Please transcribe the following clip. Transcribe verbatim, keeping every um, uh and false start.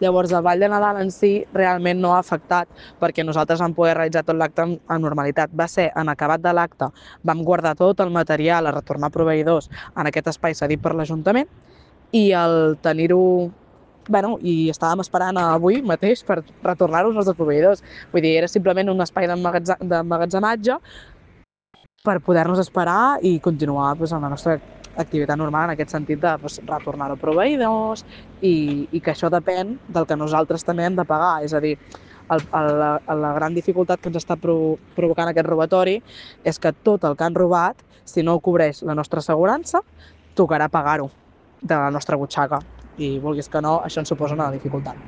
Llavors, el Ball de Nadal en si realment no ha afectat perquè nosaltres vam poder realitzar tot l'acte amb, amb normalitat. Va ser en acabat de l'acte, vam guardar tot el material a retornar a proveïdors en aquest espai cedit per l'Ajuntament i el tenir-ho bueno, i estàvem esperant avui mateix per retornar-ho als nostres proveïdors. Vull dir, era simplement un espai d'emmagatzematge per poder-nos esperar i continuar doncs, amb la nostra activitat normal en aquest sentit de doncs, retornar-ho a proveïdors i, i que això depèn del que nosaltres també hem de pagar. És a dir, el, el, la, la gran dificultat que ens està pro, provocant aquest robatori és que tot el que han robat, si no ho cobreix la nostra assegurança, tocarà pagar-ho de la nostra butxaca. I vulguis que no, això ens suposa una dificultat.